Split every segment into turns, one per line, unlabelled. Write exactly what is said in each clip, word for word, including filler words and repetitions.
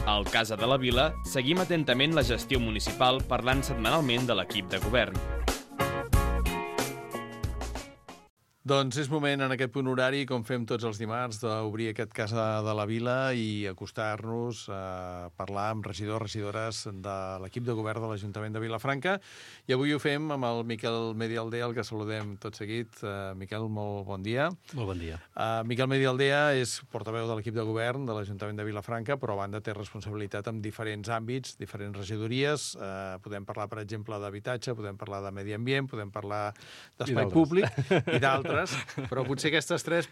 Al Casa de la Vila seguim atentament la gestió municipal parlant setmanalment de l'equip de govern.
Doncs és moment en aquest punt horari, com fem tots els dimarts, d'obrir aquest Casa de la Vila i acostar-nos a parlar amb regidors, regidores de l'equip de govern de l'Ajuntament de Vilafranca. I avui ho fem amb el Miquel Medialdea, el que saludem tot seguit. Uh, Miquel, molt bon dia.
Molt bon dia.
Uh, Miquel Medialdea és portaveu de l'equip de govern de l'Ajuntament de Vilafranca, però a banda té responsabilitat en diferents àmbits, diferents regidories. Uh, podem parlar, per exemple, d'habitatge, podem parlar de medi ambient, podem parlar d'espai públic i d'altres. Però potser aquestes tres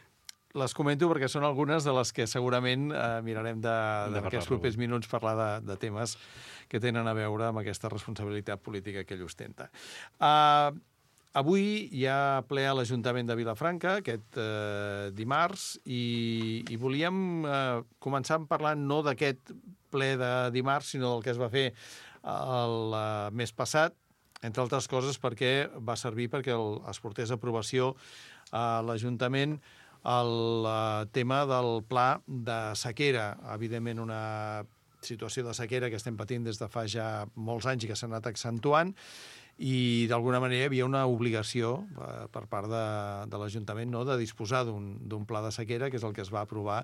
les comento perquè són algunes de les que segurament eh, mirarem de, de en aquests propers minuts parlar de, de temes que tenen a veure amb aquesta responsabilitat política que ell ostenta. Uh, avui hi ha ple a l'Ajuntament de Vilafranca, aquest eh, dimarts, i, i volíem eh, començar parlant no d'aquest ple de dimarts, sinó del que es va fer el uh, mes passat, entre altres coses perquè va servir perquè el, es portés a aprovació a l'Ajuntament el uh, tema del pla de sequera. Evidentment, una situació de sequera que estem patint des de fa ja molts anys i que s'ha anat accentuant, i d'alguna manera hi havia una obligació eh, per part de, de l'Ajuntament, no?, de disposar d'un pla de sequera, que és el que es va aprovar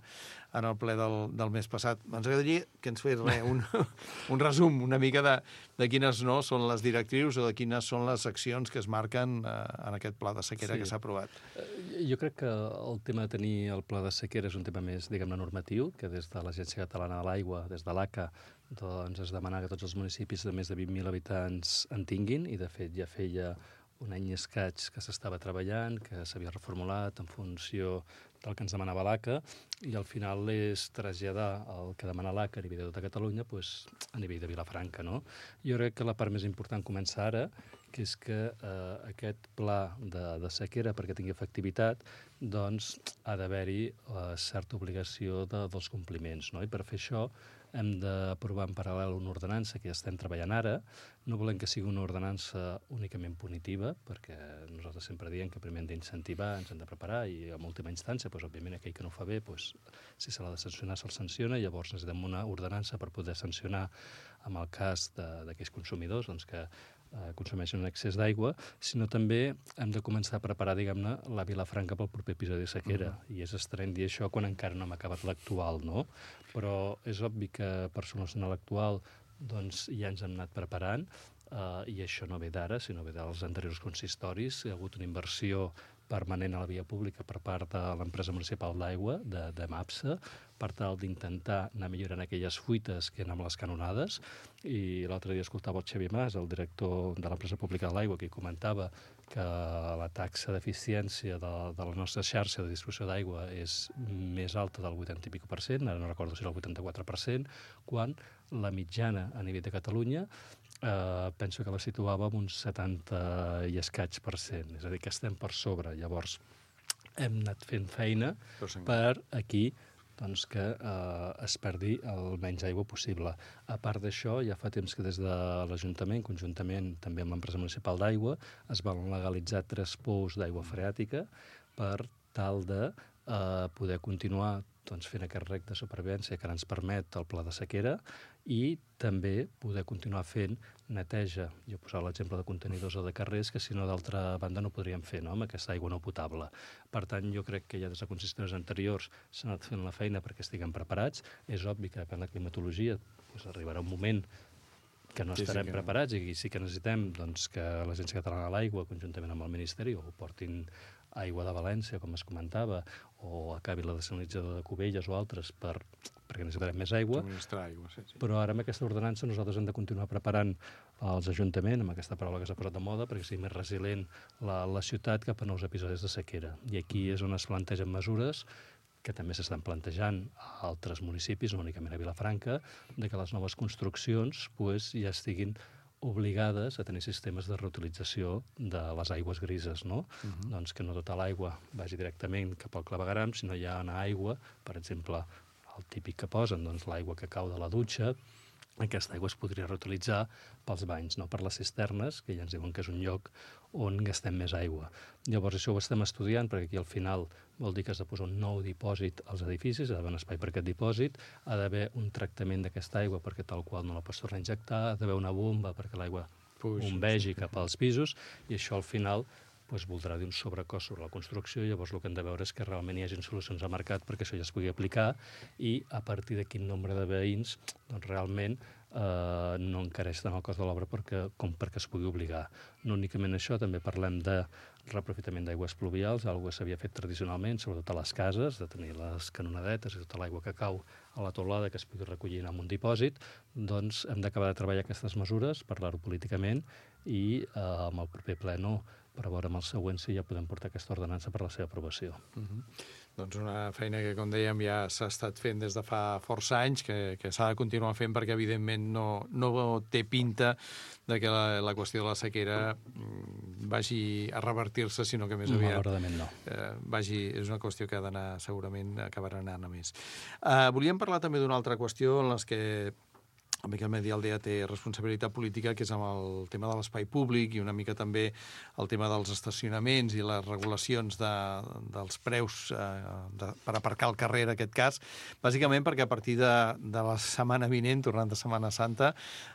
en el ple del, del mes passat. Ens agradaria que ens fes re, un, un resum una mica de, de quines no són les directrius o de quines són les accions que es marquen eh, en aquest pla de sequera sí. que s'ha aprovat.
Jo crec que el tema de tenir el pla de sequera és un tema més, diguem-ne, normatiu, que des de l'Agència Catalana de l'Aigua, des de l'A C A, doncs es demana que tots els municipis de més de vint mil habitants en tinguin, i de fet ja feia un any i escaig que s'estava treballant, que s'havia reformulat en funció del que ens demanava l'A C A, i al final és traslladar el que demana l'A C A a nivell de tota Catalunya pues, a nivell de Vilafranca. No? Jo crec que la part més important comença ara, que és que eh, aquest pla de, de sequera, perquè tingui efectivitat, doncs ha d'haver-hi eh, certa obligació de, dels compliments. No? I per fer això hem d'aprovar en paral·lel una ordenança que ja estem treballant ara. No volem que sigui una ordenança únicament punitiva, perquè nosaltres sempre diem que primer hem d'incentivar, ens hem de preparar, i en última instància, doncs, òbviament, aquell que no ho fa bé, doncs, si se l'ha de sancionar, se'l sanciona, i llavors necessitem una ordenança per poder sancionar en el cas d'aquells consumidors doncs, que eh, consumeixen un excés d'aigua, sinó també hem de començar a preparar, diguem-ne, la Vilafranca pel proper episodi de sequera. Mm. I és estrany dir això quan encara no hem acabat l'actual, no? Però és obvi que per solucionar l'actual doncs ja ens hem anat preparant, eh, i això no ve d'ara, sinó ve dels anteriors consistoris. Hi ha hagut una inversió permanent a la via pública per part de l'empresa municipal d'aigua, de, de MAPSA, per tal d'intentar anar millorant aquelles fuites que eren amb les canonades. I l'altre dia escoltava el Xavier Mas, el director de l'empresa pública de l'aigua, que comentava que la taxa d'eficiència de, de la nostra xarxa de distribució d'aigua és més alta del vuitanta i pico per cent, ara no recordo si era el vuitanta-quatre per cent, quan la mitjana a nivell de Catalunya eh, penso que la situava amb un setanta i escaig per cent, és a dir, que estem per sobre. Llavors, hem anat fent feina per aquí doncs, que eh, es perdi el menys aigua possible. A part d'això, ja fa temps que des de l'Ajuntament, conjuntament també amb l'empresa municipal d'aigua, es van legalitzar tres pous d'aigua freàtica per tal de eh, poder continuar doncs, fent aquest rec de supervivència que ara ens permet el pla de sequera, i també poder continuar fent neteja. Jo posava l'exemple de contenidors o de carrers que si no d'altra banda no podríem fer, no?, amb aquesta aigua no potable. Per tant, jo crec que ja des de consistoris anteriors s'ha anat fent la feina perquè estiguem preparats. És obvi que depèn de la climatologia, doncs arribarà un moment que no estarem sí, sí que preparats no. I sí que necessitem doncs, que l'Agència Catalana de l'Aigua, conjuntament amb el Ministeri, o portin aigua de València, com es comentava, o acabi la desalinitzadora de Cubelles o altres, per, perquè necessitarem més aigua.
aigua sí, sí.
Però ara amb aquesta ordenança nosaltres hem de continuar preparant els ajuntaments, amb aquesta paraula que s'ha posat de moda, perquè sigui més resilient la, la ciutat cap a nous episodis de sequera. I aquí és on es plantegen mesures que també s'estan plantejant a altres municipis, no únicament a Vilafranca, de que les noves construccions pues, ja estiguin obligades a tenir sistemes de reutilització de les aigües grises, no? Uh-huh. Doncs que no tota l'aigua vagi directament cap al clavegueram, sinó hi ha una aigua, per exemple, el típic que posen, doncs l'aigua que cau de la dutxa, aquesta aigua es podria reutilitzar pels banys, no per les cisternes, que ja ens diuen que és un lloc on gastem més aigua. Llavors, això ho estem estudiant, perquè aquí al final vol dir que has de posar un nou dipòsit als edificis, ha d'haver un espai per aquest dipòsit, ha d'haver un tractament d'aquesta aigua perquè tal qual no la pots tornar a injectar, ha d'haver una bomba perquè l'aigua bombegi cap als pisos, i això al final doncs voldrà dir un sobrecost sobre la construcció, i llavors el que hem de veure és que realment hi hagi solucions al mercat perquè això ja es pugui aplicar, i a partir de quin nombre de veïns doncs realment eh, no encareix tant el cost de l'obra perquè, com perquè es pugui obligar. No únicament això, també parlem de reaprofitament d'aigües pluvials, algo que s'havia fet tradicionalment, sobretot a les cases, de tenir les canonadetes i tota l'aigua que cau a la teulada que es pugui recollir en un dipòsit. Doncs hem d'acabar de treballar aquestes mesures, parlar-ho políticament, i eh, amb el proper pleno per veure amb el següent si ja podem portar aquesta ordenança per la seva aprovació.
Uh-huh. Doncs una feina que, com dèiem, ja s'ha estat fent des de fa força anys, que, que s'ha de continuar fent perquè, evidentment, no, no té pinta de que la, la qüestió de la sequera vagi a revertir-se, sinó que més aviat...
Malauradament no.
Eh, vagi, és una qüestió que ha d'anar, segurament, acabarà anant a més. Eh, volíem parlar també d'una altra qüestió en les que el Miquel Medi Aldea té responsabilitat política, que és amb el tema de l'espai públic i una mica també el tema dels estacionaments i les regulacions de, dels preus eh, de, per aparcar al carrer, en aquest cas, bàsicament perquè a partir de, de la setmana vinent, tornant de Setmana Santa,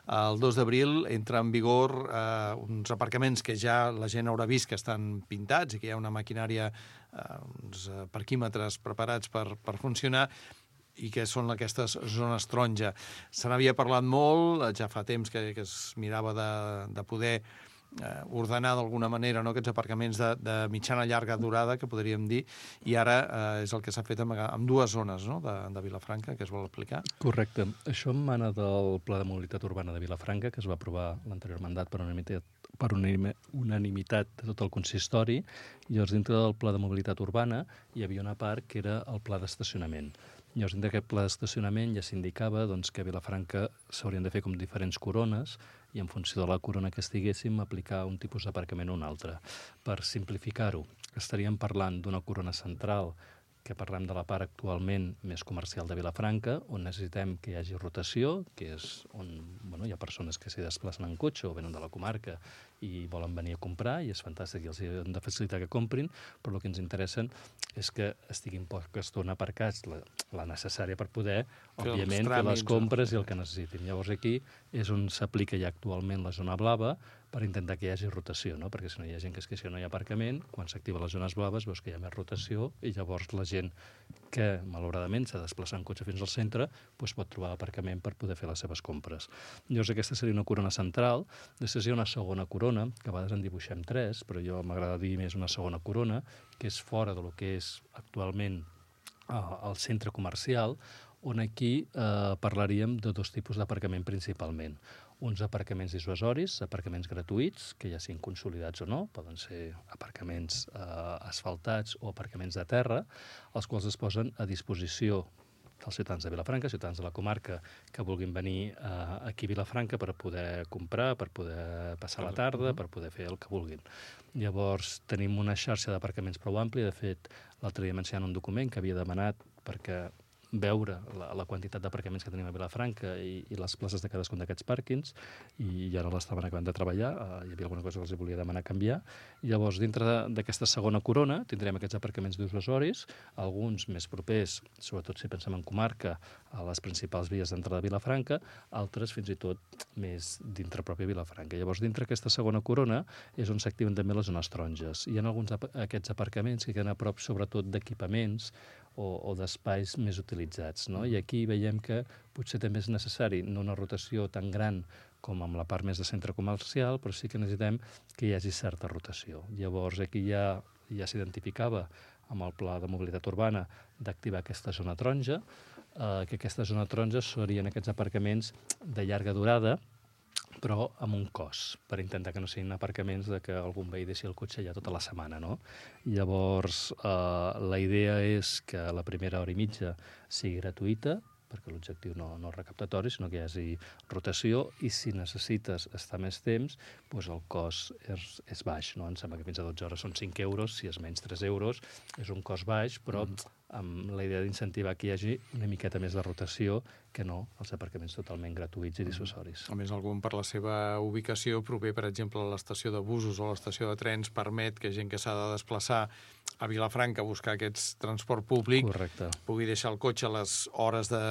el dos d'abril entra en vigor eh, uns aparcaments que ja la gent haurà vist que estan pintats i que hi ha una maquinària, eh, uns parquímetres preparats per, per funcionar, i que són aquestes zones taronja. Se n'havia parlat molt, ja fa temps que, que es mirava de, de poder eh, ordenar d'alguna manera, no?, aquests aparcaments de, de mitjana llarga durada, que podríem dir, i ara eh, és el que s'ha fet amb, amb dues zones, no?, de, de Vilafranca, que es vol aplicar.
Correcte. Això emana del Pla de Mobilitat Urbana de Vilafranca, que es va aprovar l'anterior mandat per unanimitat per unanimitat de tot el consistori. I llavors, dintre del Pla de Mobilitat Urbana hi havia una part que era el pla d'estacionament. Llavors, dintre d'aquest pla d'estacionament ja s'indicava doncs, que a Vilafranca s'haurien de fer com diferents corones i en funció de la corona que estiguéssim aplicar un tipus d'aparcament o un altre. Per simplificar-ho, estaríem parlant d'una corona central, que parlem de la part actualment més comercial de Vilafranca, on necessitem que hi hagi rotació, que és on bueno, hi ha persones que s'hi desplacen en cotxe o venen de la comarca i volen venir a comprar, i és fantàstic i els hem de facilitar que comprin, però el que ens interessa és que estiguin poca estona aparcats, la, la necessària per poder, fer òbviament, fer les compres i el que necessitin. Llavors aquí és on s'aplica ja actualment la zona blava, per intentar que hi hagi rotació, no? Perquè si no hi ha gent que es queixa no hi ha aparcament, quan s'activen les zones blaves veus que hi ha més rotació i llavors la gent que, malauradament, s'ha de desplaçar en cotxe fins al centre, doncs pot trobar aparcament per poder fer les seves compres. Llavors aquesta seria una corona central, després hi ha una segona corona, que a vegades en dibuixem tres, però jo m'agrada dir més una segona corona, que és fora de lo que és actualment eh, el centre comercial, on aquí eh, parlaríem de dos tipus d'aparcament principalment. Uns aparcaments dissuasoris, aparcaments gratuïts, que ja siguin consolidats o no, poden ser aparcaments eh, asfaltats o aparcaments de terra, els quals es posen a disposició dels ciutadans de Vilafranca, ciutadans de la comarca que vulguin venir eh, aquí a Vilafranca per poder comprar, per poder passar la tarda, per poder fer el que vulguin. Llavors, tenim una xarxa d'aparcaments prou àmplia. De fet, l'altre dia m'ensenyant un document que havia demanat perquè veure la, la quantitat d'aparcaments que tenim a Vilafranca i, i les places de cadascun d'aquests pàrquings, i ja no l'estaven acabant de treballar, uh, hi havia alguna cosa que els volia demanar canviar. I llavors, dintre d'aquesta segona corona, tindrem aquests aparcaments dissuasoris, alguns més propers, sobretot si pensem en comarca, a les principals vies d'entrada de Vilafranca, altres fins i tot més dintre pròpia Vilafranca. Llavors, dintre aquesta segona corona és on s'activen també les zones taronges. Hi ha alguns d'aquests aparcaments que queden a prop, sobretot, d'equipaments o, o d'espais més utilitzats, no? I aquí veiem que potser també és necessari no una rotació tan gran com amb la part més de centre comercial, però sí que necessitem que hi hagi certa rotació. Llavors aquí ja, ja s'identificava amb el Pla de Mobilitat Urbana d'activar aquesta zona taronja, eh, que aquesta zona taronja serien aquests aparcaments de llarga durada, però amb un cost, per intentar que no siguin aparcaments de que algun veí deixi el cotxe ja tota la setmana, no? Llavors, eh, la idea és que la primera hora i mitja sigui gratuïta, perquè l'objectiu no, no és recaptatori, sinó que hi hagi rotació, i si necessites estar més temps, doncs el cost és, és baix, no? Em sembla que fins a dotze hores són cinc euros, si és menys tres euros, és un cost baix, però mm. amb la idea d'incentivar que hi hagi una miqueta més de rotació que no els aparcaments totalment gratuïts i dissuasoris.
A més, algun per la seva ubicació prové, per exemple, a l'estació de busos o a l'estació de trens, permet que gent que s'ha de desplaçar a Vilafranca a buscar aquest transport públic
Correcte.
pugui deixar el cotxe a les hores de...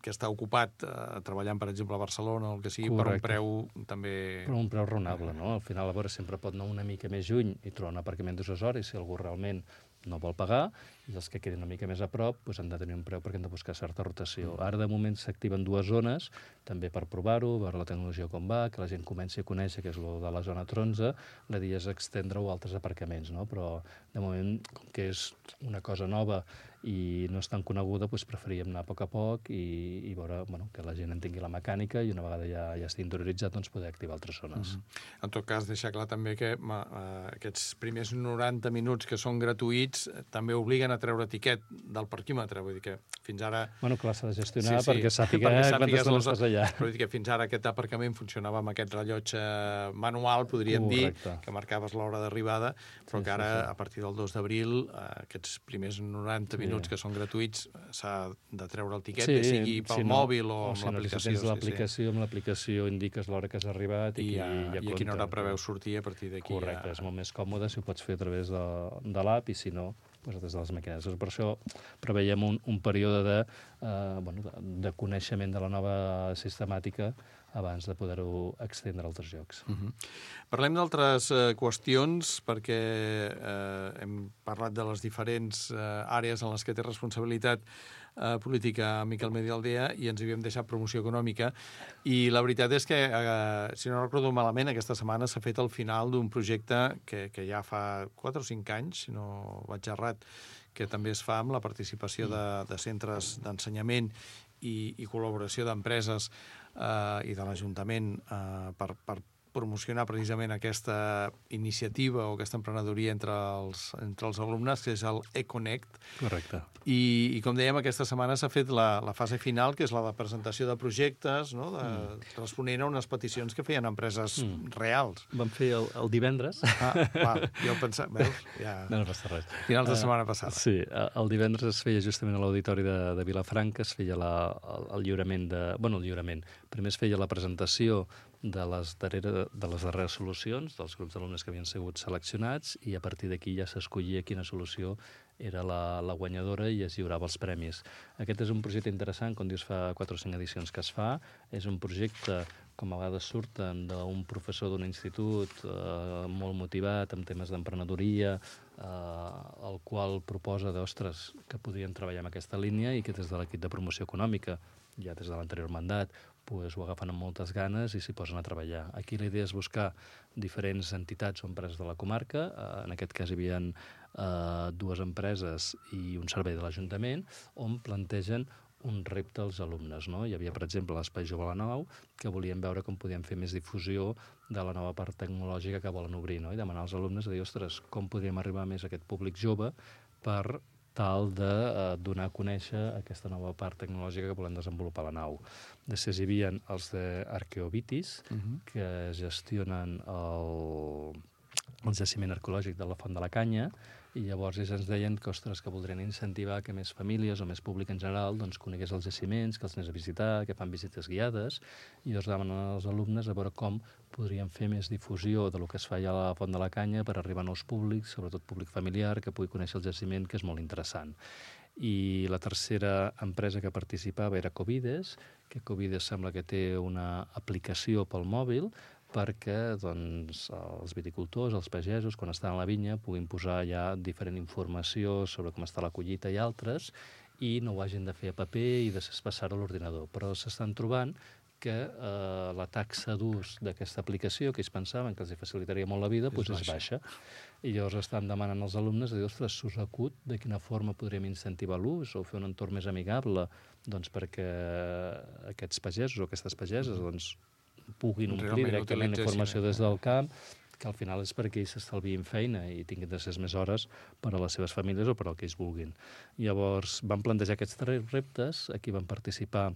que està ocupat eh, treballant, per exemple, a Barcelona o el que sigui,
Correcte.
per un preu també...
Però un preu raonable, no? Al final, a veure, sempre pot anar una mica més lluny i trobar un aparcament dissuasori si algú realment no vol pagar, i els que quedin una mica més a prop doncs han de tenir un preu perquè han de buscar certa rotació. Ara, de moment, s'activen dues zones, també per provar-ho, veure la tecnologia com va, que la gent comenci a conèixer que és el de la zona taronja, la idea és estendre-ho a altres aparcaments, no? Però, de moment, com que és una cosa nova i no és tan coneguda, doncs preferíem anar a poc a poc i, i veure bueno, que la gent entengui la mecànica i una vegada ja, ja estigui interioritzat, doncs poder activar altres zones.
Mm-hmm. En tot cas, deixar clar també que ma, uh, aquests primers noranta minuts que són gratuïts eh, també obliguen a treure tiquet del parquímetre, vull dir que fins ara...
Bueno, clar, s'ha de gestionar
sí, sí,
perquè sàpiga
perquè
quanta estona
els...
estàs allà.
Però dir que fins ara aquest aparcament funcionava amb aquest rellotge manual, podríem
Correcte.
dir, que marcaves l'hora d'arribada, però
Sí,
que ara,
sí, sí.
a partir del dos d'abril, eh, aquests primers noranta
Sí.
minuts que són gratuïts, s'ha de treure el tiquet,
Sí,
bé sigui pel
si no-
mòbil o,
o
amb
si no,
l'aplicació.
Si tens
sí,
l'aplicació, amb l'aplicació indiques l'hora que has arribat i,
I, ja,
ja
i a quina hora
compta.
preveu sortir, a partir d'aquí
Correcte,
ja...
és molt més còmode si ho pots fer a través de, de l'app i si no, doncs des de les màquines. Per això preveiem un, un període de, eh, bueno, de, de coneixement de la nova sistemàtica abans de poder-ho extendre a altres llocs.
Uh -huh. Parlem d'altres eh, qüestions, perquè eh, hem parlat de les diferents eh, àrees en les que té responsabilitat eh, política Miquel Medialdea i ens havíem deixat promoció econòmica, i la veritat és que, eh, si no recordo malament, aquesta setmana s'ha fet el final d'un projecte que, que ja fa quatre o cinc anys, si no vaig errat, que també es fa amb la participació de, de centres d'ensenyament i, i col·laboració d'empreses eh, i de l'Ajuntament eh, per, per promocionar precisament aquesta iniciativa o aquesta emprenedoria entre els, entre els alumnes, que és el eConnect.
Correcte.
I, i com dèiem, aquesta setmana s'ha fet la, la fase final, que és la de presentació de projectes, no? de, mm. responent a unes peticions que feien empreses mm. reals.
Vam fer el, el divendres.
Ah, clar, jo pensava... Veus? Ja...
No, no passa res.
Finals de setmana passada.
Uh, sí, el divendres es feia justament a l'auditori de, de Vilafranca, es feia la, el, el lliurament de... Bueno, el lliurament. Primer es feia la presentació de les, darrere, de les darreres solucions, dels grups d'alumnes que havien sigut seleccionats, i a partir d'aquí ja s'escollia quina solució era la, la guanyadora i es lliurava els premis. Aquest és un projecte interessant, com dius, fa quatre o cinc edicions que es fa. És un projecte, com a vegades surten, d'un professor d'un institut eh, molt motivat amb temes d'emprenedoria, eh, el qual proposa d'ostres que podrien treballar en aquesta línia i que des de l'equip de promoció econòmica, ja des de l'anterior mandat, pues, ho agafen amb moltes ganes i s'hi posen a treballar. Aquí la idea és buscar diferents entitats o empreses de la comarca. Eh, en aquest cas hi havia eh, dues empreses i un servei de l'Ajuntament on plantegen un repte als alumnes. No? Hi havia, per exemple, l'Espai Jove a la Nau, que volien veure com podien fer més difusió de la nova part tecnològica que volen obrir, no? I demanar als alumnes a dir, ostres, com podríem arribar més a aquest públic jove per tal de eh, donar a conèixer aquesta nova part tecnològica que volem desenvolupar a la nau. Després hi havia els d'Arqueobitis, uh -huh. que gestionen el, el jaciment arqueològic de la Font de la Canya, i llavors ells ens deien que, ostres, que voldrien incentivar que més famílies o més públic en general doncs, conegués els jaciments, que els anés a visitar, que fan visites guiades, i llavors demanen als alumnes a veure com podríem fer més difusió de lo que es fa allà a la Font de la Canya per arribar a nous públics, sobretot públic familiar, que pugui conèixer el jaciment, que és molt interessant. I la tercera empresa que participava era Covides, que Covides sembla que té una aplicació pel mòbil perquè doncs, els viticultors, els pagesos, quan estan a la vinya, puguin posar ja diferent informació sobre com està la collita i altres, i no ho hagin de fer a paper i després passar-ho a l'ordinador. Però s'estan trobant que eh, la taxa d'ús d'aquesta aplicació, que ells pensaven que els facilitaria molt la vida, és, doncs és baixa. I llavors estan demanant als alumnes de dir, ostres, s'us acut de quina forma podríem incentivar l'ús o fer un entorn més amigable doncs, perquè aquests pagesos o aquestes pageses doncs, puguin omplir
realment
directament la informació
eh?
des del camp, que al final és perquè ells s'estalviïn feina i tinguin de ser més hores per a les seves famílies o per al que ells vulguin. Llavors, van plantejar aquests tres reptes, aquí van participar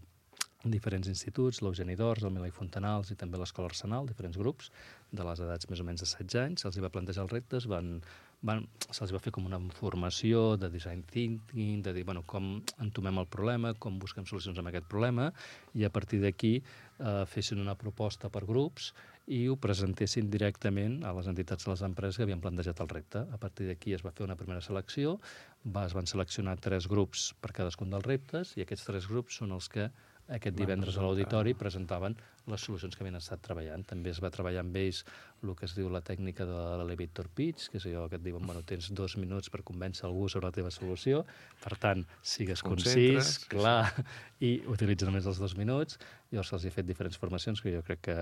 diferents instituts, l'Eugeni d'Ors, el Milà i Fontanals i també l'Escola Arsenal, diferents grups de les edats més o menys de setze anys. Se'ls va plantejar els reptes, van, van, se'ls va fer com una formació de design thinking, de dir bueno, com entomem el problema, com busquem solucions a aquest problema, i a partir d'aquí eh, fessin una proposta per grups i ho presentessin directament a les entitats de les empreses que havien plantejat el repte. A partir d'aquí es va fer una primera selecció, va, es van seleccionar tres grups per cadascun dels reptes, i aquests tres grups són els que aquest divendres a l'auditori presentaven les solucions que havien estat treballant. També es va treballar amb ells el que es diu la tècnica de l'elevator pitch, que és allò que et diuen, bueno, tens dos minuts per convèncer algú sobre la teva solució, per tant, sigues concís, clar, i utilitza només els dos minuts. Llavors se'ls ha fet diferents formacions que jo crec que,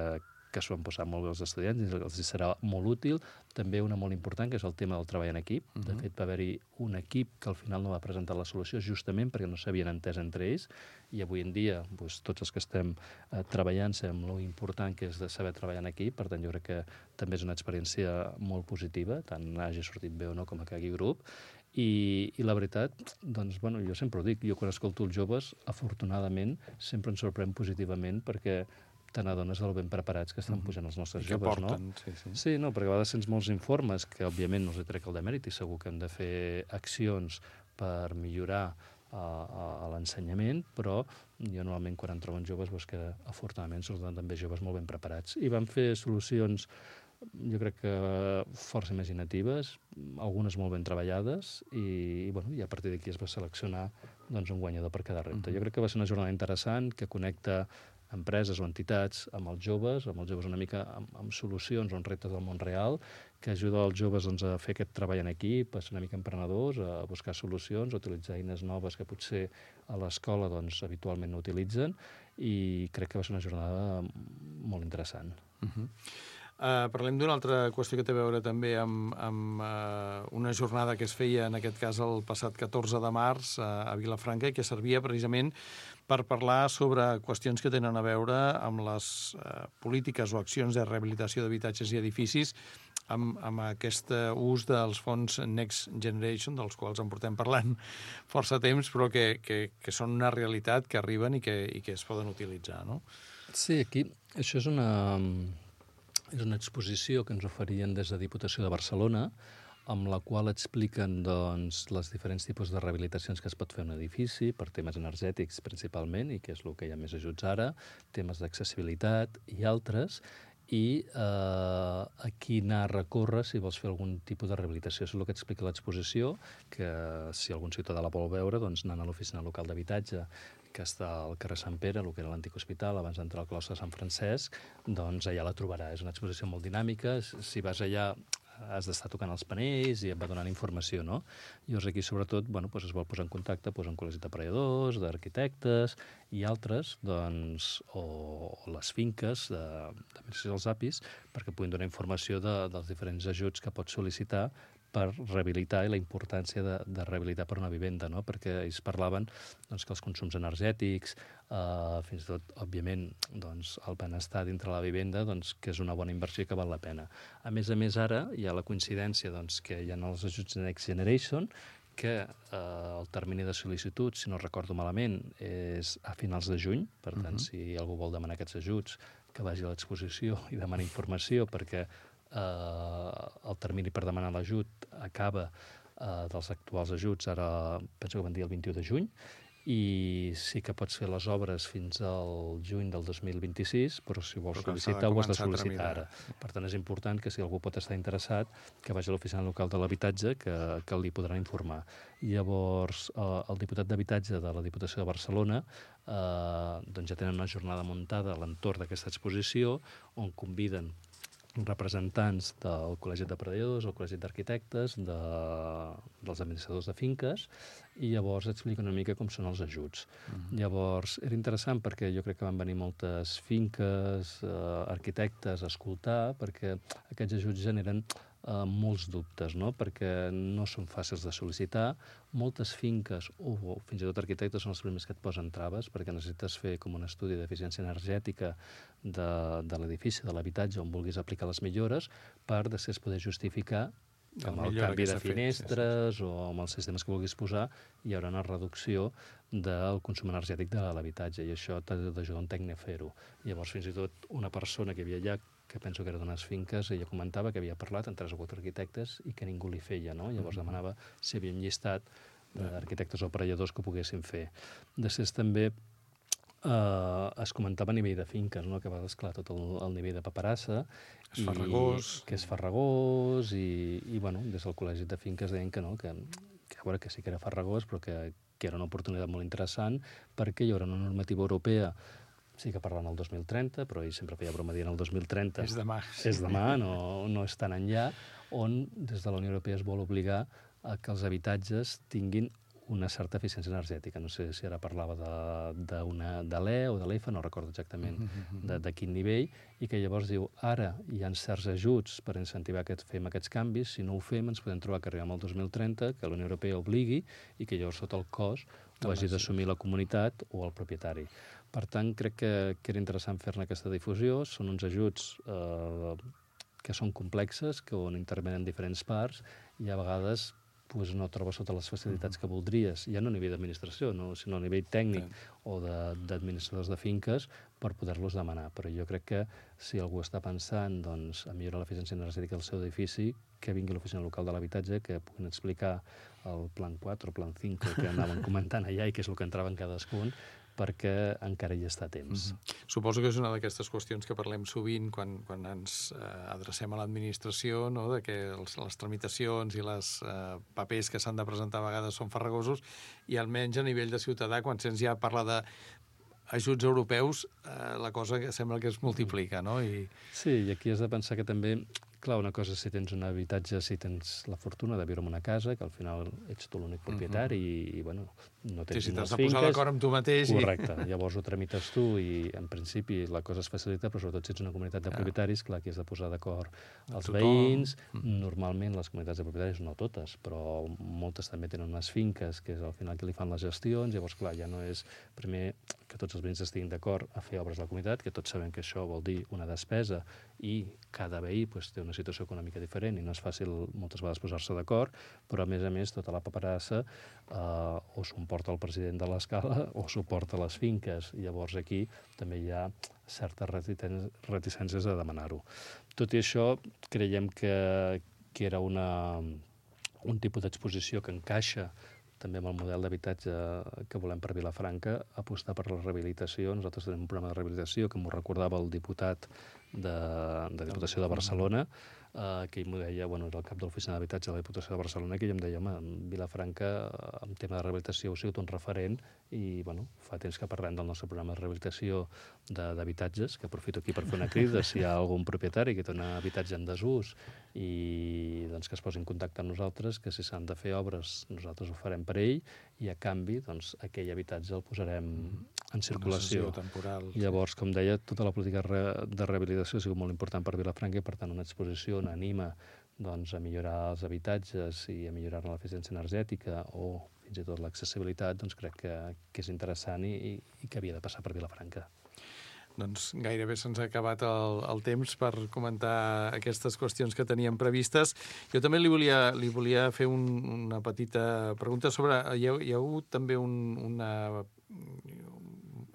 que s'ho han posat molt bé els estudiants i els serà molt útil. També una molt important, que és el tema del treball en equip. Uh -huh. De fet, va haver-hi un equip que al final no va presentar la solució justament perquè no s'havien entès entre ells, i avui en dia doncs, tots els que estem eh, treballant sabem lo important que és de saber treballar en equip. Per tant, jo crec que també és una experiència molt positiva, tant hagi sortit bé o no com a cagui grup. I, i la veritat, doncs, bueno, jo sempre ho dic, jo quan escolto els joves, afortunadament, sempre ens sorprèn positivament perquè te n'adones del ben preparats que estan pujant els nostres joves,
porten,
no?
Sí, sí.
Sí, no, perquè a vegades sents molts informes que, òbviament, no els trec el demèrit i segur que hem de fer accions per millorar a, a, a l'ensenyament, però jo normalment quan em troben joves veus que afortunadament surten també joves molt ben preparats. I van fer solucions, jo crec que força imaginatives, algunes molt ben treballades, i, i, bueno, i a partir d'aquí es va seleccionar doncs, un guanyador per cada repte. Jo crec que va ser una jornada interessant que connecta empreses o entitats amb els joves, amb els joves una mica amb, amb solucions o amb reptes del món real, que ajuda els joves doncs, a fer aquest treball en equip, a ser una mica emprenedors, a buscar solucions, a utilitzar eines noves que potser a l'escola doncs, habitualment no utilitzen, i crec que va ser una jornada molt interessant.
Uh-huh. Uh, parlem d'una altra qüestió que té a veure també amb, amb uh, una jornada que es feia, en aquest cas, el passat catorze de març uh, a Vilafranca, i que servia precisament per parlar sobre qüestions que tenen a veure amb les uh, polítiques o accions de rehabilitació d'habitatges i edificis, amb, amb aquest ús dels fons Next Generation, dels quals en portem parlant força temps, però que, que, que són una realitat, que arriben i que, i que es poden utilitzar, no?
Sí, aquí això és una... És una exposició que ens oferien des de Diputació de Barcelona, amb la qual expliquen doncs, les diferents tipus de rehabilitacions que es pot fer en un edifici, per temes energètics principalment, i que és el que hi ha més ajuts ara, temes d'accessibilitat i altres, i eh, a qui anar a recórrer si vols fer algun tipus de rehabilitació. És el que explica l'exposició, que si algun ciutadà la vol veure, doncs anant a l'oficina local d'habitatge, que està al carrer Sant Pere, el que era l'antic hospital, abans d'entrar al claustre de Sant Francesc, doncs allà la trobarà. És una exposició molt dinàmica. Si vas allà has d'estar tocant els panells i et va donant informació, no? Llavors aquí, sobretot, bueno, doncs es vol posar en contacte doncs, amb col·legis d'aparelladors, d'arquitectes i altres, doncs, o, o les finques de, de els apis, perquè puguin donar informació de, dels diferents ajuts que pots sol·licitar per rehabilitar i la importància de, de rehabilitar per una vivenda, no? Perquè ells parlaven doncs, que els consums energètics, eh, fins i tot, òbviament, doncs, el benestar dintre la vivenda, doncs, que és una bona inversió que val la pena. A més a més, ara hi ha la coincidència doncs, que hi ha els ajuts Next Generation, que eh, el termini de sol·licitud, si no recordo malament, és a finals de juny. Per tant, uh-huh. si algú vol demanar aquests ajuts, que vagi a l'exposició i demani informació, perquè Uh, el termini per demanar l'ajut acaba uh, dels actuals ajuts, ara penso que van dir el vint-i-u de juny, i sí que pots fer les obres fins al juny del dos mil vint-i-sis, però si vols però sol·licitar ho has de sol·licitar ara. Per tant, és important que si algú pot estar interessat, que vagi a l'oficina local de l'habitatge, que, que li podran informar. Llavors, eh, el diputat d'habitatge de la Diputació de Barcelona eh, doncs ja tenen una jornada muntada a l'entorn d'aquesta exposició, on conviden representants del Col·legi d'Aparelladors, el Col·legi d'Arquitectes, de, dels administradors de finques, i llavors explica una mica com són els ajuts. Uh-huh. Llavors, era interessant perquè jo crec que van venir moltes finques, eh, arquitectes a escoltar, perquè aquests ajuts generen eh, molts dubtes, no? Perquè no són fàcils de sol·licitar. Moltes finques, o, o fins i tot arquitectes, són els primers que et posen traves, perquè necessites fer com un estudi d'eficiència energètica de, de l'edifici, de l'habitatge, on vulguis aplicar les millores, per després poder justificar que amb el canvi de finestres o amb els sistemes que vulguis posar hi haurà una reducció del consum energètic de l'habitatge i això t'ha d'ajudar un tècnic a fer-ho. Llavors, fins i tot una persona que hi havia allà, que penso que era d'unes finques, ella comentava que havia parlat amb tres o quatre arquitectes i que ningú li feia, no? Llavors demanava si havia un llistat d'arquitectes o aparelladors que ho poguessin fer. Després també Uh, es comentava a nivell de finques, no? Que a vegades, clar, tot el, el nivell de paperassa...
És farragós.
I, que és farragós i, i, bueno, des del col·legi de finques deien que no, que, que, a veure, que sí que era farragós, però que, que era una oportunitat molt interessant perquè hi haurà una normativa europea, sí que parlen el dos mil trenta, però ell sempre feia broma dient el dos mil trenta.
És demà.
És demà, no, no és tan enllà, on des de la Unió Europea es vol obligar a que els habitatges tinguin una certa eficiència energètica. No sé si ara parlava de, de, de l'E o de l'E F A, no recordo exactament de, de quin nivell, i que llavors diu, ara hi ha certs ajuts per incentivar que fem aquests canvis, si no ho fem ens podem trobar que arribem al dos mil trenta, que la Unió Europea obligui i que llavors sota el cost ho hagi d'assumir la comunitat o el propietari. Per tant, crec que, que era interessant fer-ne aquesta difusió. Són uns ajuts eh, que són complexes, que on intervenen diferents parts i a vegades pues no trobes totes les facilitats que voldries, ja no a nivell d'administració, no, sinó a nivell tècnic o d'administradors de, de finques per poder-los demanar. Però jo crec que si algú està pensant doncs, a millorar l'eficiència energètica del seu edifici, que vingui a l'oficina local de l'habitatge, que puguin explicar el plan quatre o plan cinc que anaven comentant allà i què és el que entrava en cadascun, perquè encara hi està a temps.
Mm-hmm. Suposo que és una d'aquestes qüestions que parlem sovint quan, quan ens eh, adrecem a l'administració, no? De que els, les tramitacions i les eh, papers que s'han de presentar a vegades són farragosos i almenys a nivell de ciutadà, quan sents ja parlar de ajuts europeus, eh, la cosa que sembla que es multiplica, no? I...
Sí, i aquí has de pensar que també, clar, una cosa si tens un habitatge, si tens la fortuna de viure en una casa, que al final ets tu l'únic propietari i, i, bueno, no tens
sí, sí,
unes
t'has de
finques...
posar d'acord amb tu mateix.
Correcte, i... llavors ho tramites tu i, en principi, la cosa es facilita, però sobretot si ets una comunitat de propietaris, clar, aquí has de posar d'acord els veïns. Normalment les comunitats de propietaris, no totes, però moltes també tenen unes finques, que és al final que li fan les gestions, llavors, clar, ja no és primer que tots els veïns estiguin d'acord a fer obres a la comunitat, que tots sabem que això vol dir una despesa i cada veí pues, té una situació econòmica diferent i no és fàcil moltes vegades posar-se d'acord, però a més a més tota la paperassa eh, o s'ho porta el president de l'escala o s'ho porta les finques. Llavors aquí també hi ha certes reticències a demanar-ho. Tot i això, creiem que, que era una, un tipus d'exposició que encaixa també amb el model d'habitatge que volem per Vilafranca, apostar per la rehabilitació. Nosaltres tenim un programa de rehabilitació que m'ho recordava el diputat de, de Diputació de Barcelona, eh, que ell m'ho deia, bueno, era el cap de l'oficina d'habitatge de la Diputació de Barcelona, que ell em deia, home, Vilafranca, en tema de rehabilitació, ha sigut un referent i, bueno, fa temps que parlem del nostre programa de rehabilitació d'habitatges, que aprofito aquí per fer una crida, si hi ha algun propietari que té un habitatge en desús i doncs, que es posi en contacte amb nosaltres, que si s'han de fer obres nosaltres ho farem per ell i a canvi doncs, aquell habitatge el posarem en circulació.
Temporal.
Llavors, com deia, tota la política de rehabilitació ha sigut molt important per Vilafranca i per tant una exposició on anima doncs, a millorar els habitatges i a millorar l'eficiència energètica o fins i tot l'accessibilitat, doncs crec que, que és interessant i, i que havia de passar per Vilafranca.
Doncs gairebé se'ns ha acabat el, el temps per comentar aquestes qüestions que teníem previstes. Jo també li volia, li volia fer un, una petita pregunta sobre... Hi ha, hi ha hagut també un, una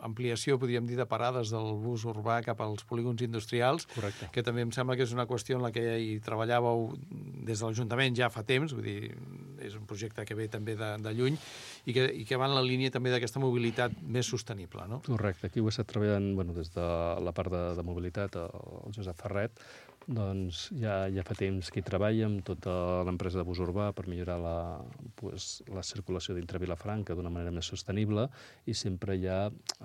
ampliació, podríem dir, de parades del bus urbà cap als polígons industrials.
Correcte.
Que també em sembla que és una qüestió en la que hi treballàveu des de l'Ajuntament ja fa temps, vull dir, és un projecte que ve també de, de lluny i que, i que va en la línia també d'aquesta mobilitat més sostenible, no?
Correcte. Aquí ho he estat treballant bueno, des de la part de, de mobilitat, el Josep Ferret, doncs ja, ja fa temps que hi treballa amb tota l'empresa de bus urbà per millorar la, pues, la circulació dintre Vilafranca d'una manera més sostenible i sempre hi ha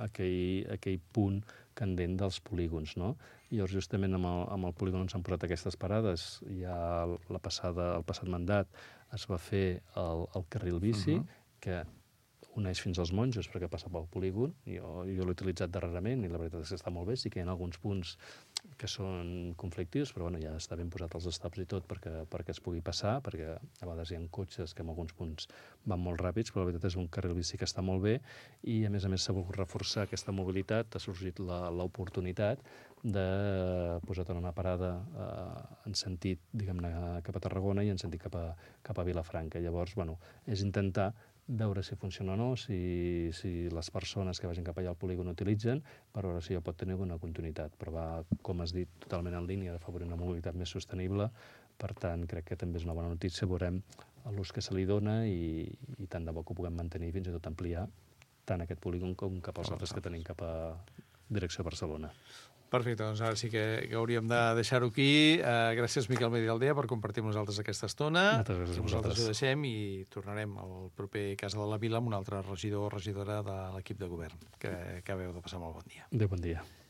aquell, aquell punt candent dels polígons, no? I llavors justament amb el, amb el polígon on s'han posat aquestes parades, ja la passada, el passat mandat es va fer el, el carril bici, uh-huh. que uneix fins als monjos perquè passa pel polígon. Jo, jo l'he utilitzat darrerament i la veritat és que està molt bé. Sí que hi ha alguns punts que són conflictius, però bueno, ja està ben posat els stops i tot perquè, perquè es pugui passar, perquè a vegades hi ha cotxes que en alguns punts van molt ràpids, però la veritat és un carril bici que està molt bé i a més a més s'ha volgut reforçar aquesta mobilitat, ha sorgit l'oportunitat de posar en una parada eh, en sentit, diguem-ne, cap a Tarragona i en sentit cap a, cap a Vilafranca. Llavors, bueno, és intentar veure si funciona o no, si, si les persones que vagin cap allà al polígon utilitzen, per veure si ja pot tenir alguna continuïtat. Però va, com has dit, totalment en línia d'afavorir una mobilitat més sostenible. Per tant, crec que també és una bona notícia. Veurem l'ús que se li dona i, i tant de bo que ho puguem mantenir fins i tot ampliar tant aquest polígon com cap als altres que tenim cap a direcció a Barcelona.
Perfecte, doncs ara sí que, que hauríem de deixar-ho aquí. Uh, gràcies, Miquel Medialdea, per compartir amb nosaltres aquesta estona.
Moltes gràcies a
vosaltres.
vosaltres.
Ho deixem i tornarem al proper Casa de la Vila amb un altre regidor o regidora de l'equip de govern. Que, que acabeu de passar molt bon dia.
Adéu, bon dia.